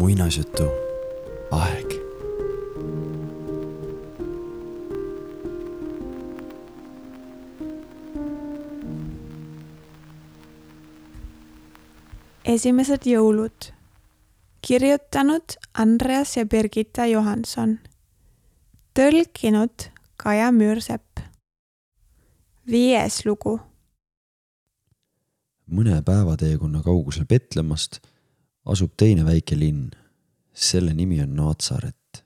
muinasjutu aeg. Esimesed jõulud. Kirjutanud Andreas ja Birgitta Johansson. Tõlkinud Kaja Müürsepp. 5. lugu. Mõne päevateekonna kaugusel Betlemmast asub teine väike linn. Selle nimi on Naatsaret.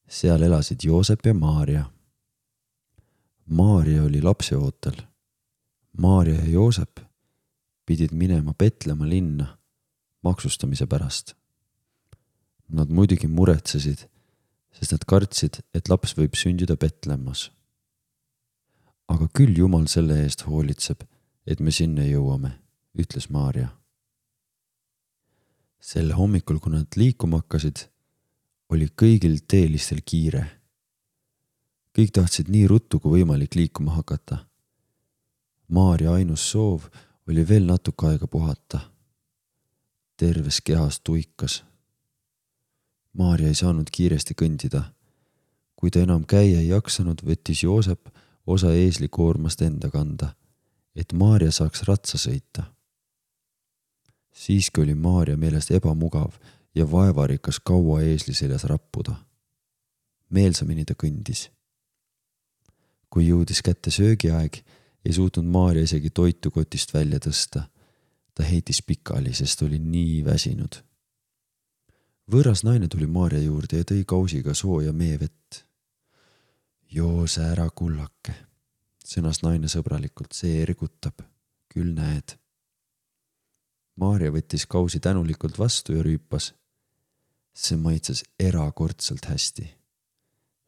Seal elasid Joosep ja Maarja. Maarja oli lapseootel. Maarja ja Joosep pidid minema Betlemma linna maksustamise pärast. Nad muidugi muretsesid, sest nad kartsid, et laps võib sündida Betlemmas. Aga küll Jumal selle eest hoolitseb, et me sinna jõuame, ütles Maarja. Sel hommikul, kui nad liikuma hakkasid, oli kõigil teelistel kiire. Kõik tahtsid nii ruttu kui võimalik liikuma hakata. Maarja ainus soov oli veel natuke aega puhata. Terves kehas tuikas. Maarja ei saanud kiiresti kõndida. Kui ta enam käia ei jaksanud, võttis Joosep osa eeslikoormast enda kanda, et Maarja saaks ratsa sõita. Siiski oli Maarja meelest ebamugav ja vaevarikas kaua eesli seljas rappuda. Meelsamini ta kõndis. Kui jõudis kätte söögiaeg, ei suutnud Maarja isegi toitu kotist välja tõsta. Ta heitis pikali, sest oli nii väsinud. Võõras naine tuli Maarja juurde ja tõi kausiga sooja meevett. Joose ära kullake, sõnas naine sõbralikult, see ergutab, küll näed. Maarja võttis kausi tänulikult vastu ja rüüpas. See maitses erakordselt hästi.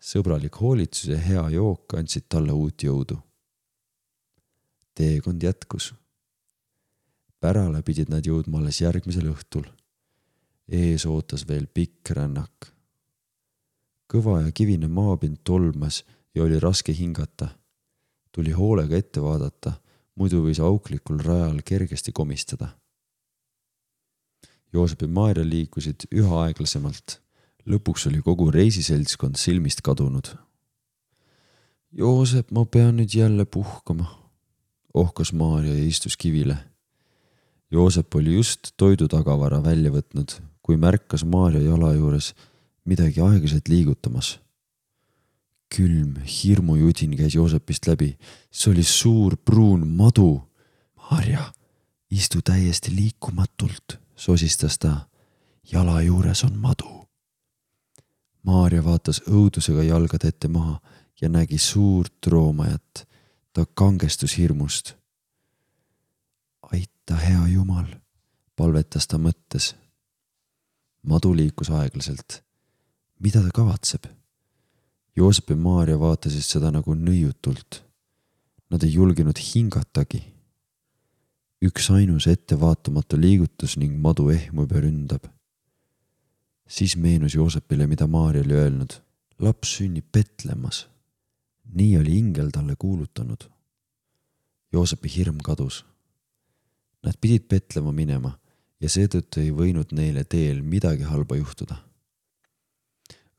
Sõbralik hoolitsus ja hea jook andsid talle uut jõudu. Teekond jätkus. Pärale pidid nad jõudma alles järgmisel õhtul. Ees ootas veel pikk rännak. Kõva ja kivine maapind tolmas ja oli raske hingata. Tuli hoolega ette vaadata, muidu võis auklikul rajal kergesti komistada. Joosep ja Maarja liikusid üha aeglasemalt. Lõpuks oli kogu reisiseltskond silmist kadunud. Joosep, ma pean nüüd jälle puhkama, ohkas Maarja ja istus kivile. Joosep oli just toidutagavara välja võtnud, kui märkas Maarja jala juures midagi aeglaselt liigutamas. Külm, hirmujudin käis Joosepist läbi. See oli suur pruun madu. Maarja, istu täiesti liikumatult, sosistas ta. Jala juures on madu. Maarja vaatas õudusega jalgad ette maha ja nägi suurt roomajat. Ta kangestus hirmust. Aita, hea Jumal, palvetas ta mõttes. Madu liikus aeglaselt. Mida ta kavatseb? Joosep ja Maarja vaatasid seda nagu nõiutult. Nad ei julgenud hingatagi. Üks ainus ettevaatamatu liigutus ning madu ehmub ja ründab. Siis meenus Joosepile, mida Maarja oli öelnud. Laps sünnib Betlemmas. Nii oli ingel talle kuulutanud. Joosepi hirm kadus. Nad pidid Betlemma minema ja seetõttu ei võinud neile teel midagi halba juhtuda.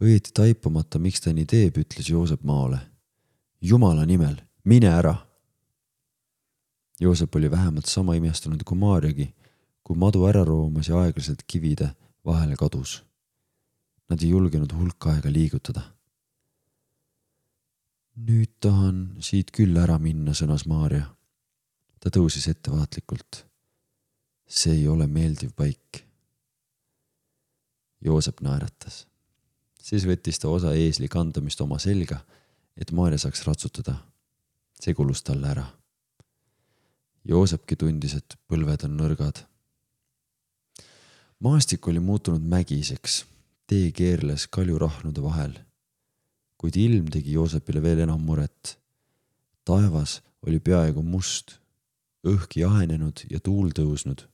Õieti taipamata, miks ta nii teeb, ütles Joosep Maole. Jumala nimel, mine ära! Joosep oli vähemalt sama imestunud kui Maarjagi, kui madu ära roomas ja aeglaselt kivide vahele kadus. Nad ei julgenud hulka aega liigutada. Nüüd tahan siit küll ära minna, sõnas Maarja. Ta tõusis ettevaatlikult. See ei ole meeldiv paik. Joosep naeratas. Siis võttis ta osa eesli kandamist oma selga, et Maarja saaks ratsutada. See kulus talle ära. Joosepki tundis, et põlved on nõrgad. Maastik oli muutunud mägiseks. Tee keerles kaljurahnude vahel. Kuid ilm tegi Joosepile veel enam muret. Taevas oli peaaegu must, õhk jahenenud ja tuul tõusnud.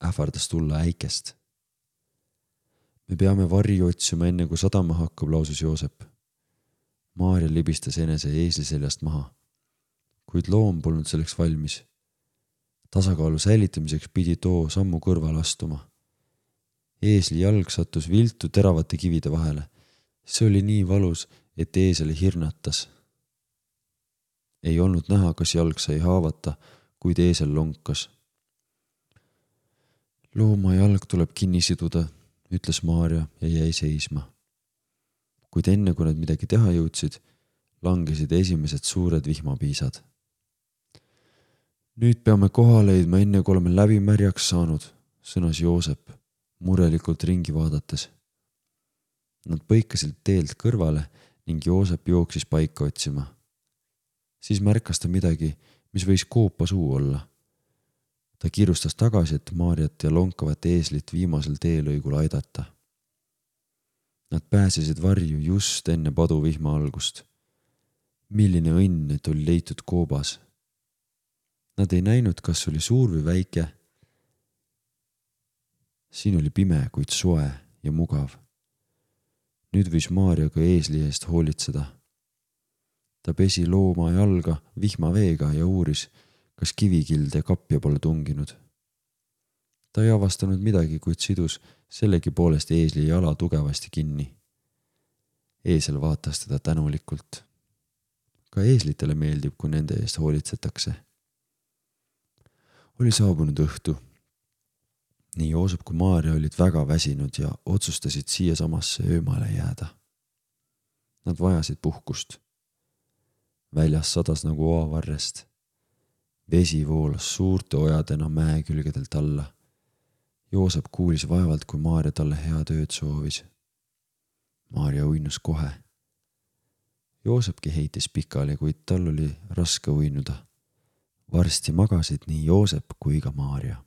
Ähvardas tulla äikest. Me peame varju otsima enne, kui sadama hakkab, lausus Joosep. Maarja libistas enese eesli seljast maha, kuid loom polnud selleks valmis. tasakaalu säilitamiseks pidi too sammu kõrval astuma. Eesli jalg sattus viltu teravate kivide vahele. See oli nii valus, et eesel hirnatas. Ei olnud näha, kas jalg sai haavata, kuid eesel lonkas. Looma jalg tuleb kinni siduda, ütles Maarja ja jäi seisma. Kuid enne, kui nad midagi teha jõudsid, langesid esimesed suured vihmapiisad. Nüüd peame koha leidma, enne kui oleme läbi märjaks saanud, sõnas Joosep, murelikult ringi vaadates. Nad põikasid teelt kõrvale ning Joosep jooksis paika otsima. Siis märkas ta midagi, mis võis koopa suu olla. Ta kiirustas tagasi, et Maarjat ja lonkavat eeslit viimasel teelõigul aidata. Nad pääsesid varju just enne paduvihma algust. Milline õnn, et oli leitud koobas. Nad ei näinud, kas oli suur või väike. Siin oli pime, kuid soe ja mugav. Nüüd võis Maarja ka eesli eest hoolitseda. Ta pesi looma jalga vihmaveega ja uuris, kas kivikilde kapja pole tunginud. Ta ei avastanud midagi, kuid sidus sellegi poolest eesli jala tugevasti kinni. Eesel vaatas teda tänulikult. Ka eeslitele meeldib, kui nende eest hoolitsetakse. Oli saabunud õhtu. Nii Joosep kui Maarja olid väga väsinud ja otsustasid siia samasse öömaale jääda. Nad vajasid puhkust. Väljas sadas nagu oavarrest. Vesi voolas suurte ojadena mäe külgedelt alla. Joosep kuulis vaevalt, kui Maarja talle head ööd soovis. Maarja uinus kohe. Joosepki heitis pikali, kuid tal oli raske uinuda. Varsti magasid nii Joosep kui ka Maarja.